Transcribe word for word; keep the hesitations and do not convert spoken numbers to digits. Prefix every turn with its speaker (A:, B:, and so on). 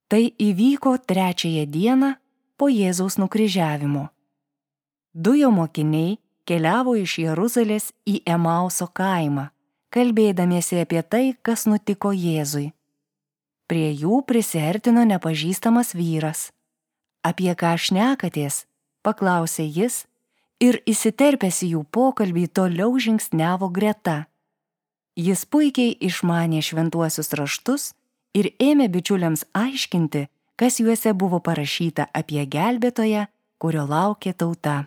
A: Tai įvyko trečiąją dieną po Jėzaus nukryžiavimo. Du jo mokiniai keliavo iš Jeruzalės į Emauso kaimą, kalbėdamiesi apie tai, kas nutiko Jėzui. Prie jų prisiartino nepažįstamas vyras. Apie ką šnekatės, paklausė jis ir įsiterpęs į jų pokalbį toliau žingsniavo greta. Jis puikiai išmanė šventuosius raštus ir ėmė bičiuliams aiškinti, kas juose buvo parašyta apie gelbėtoją, kurio laukė tauta.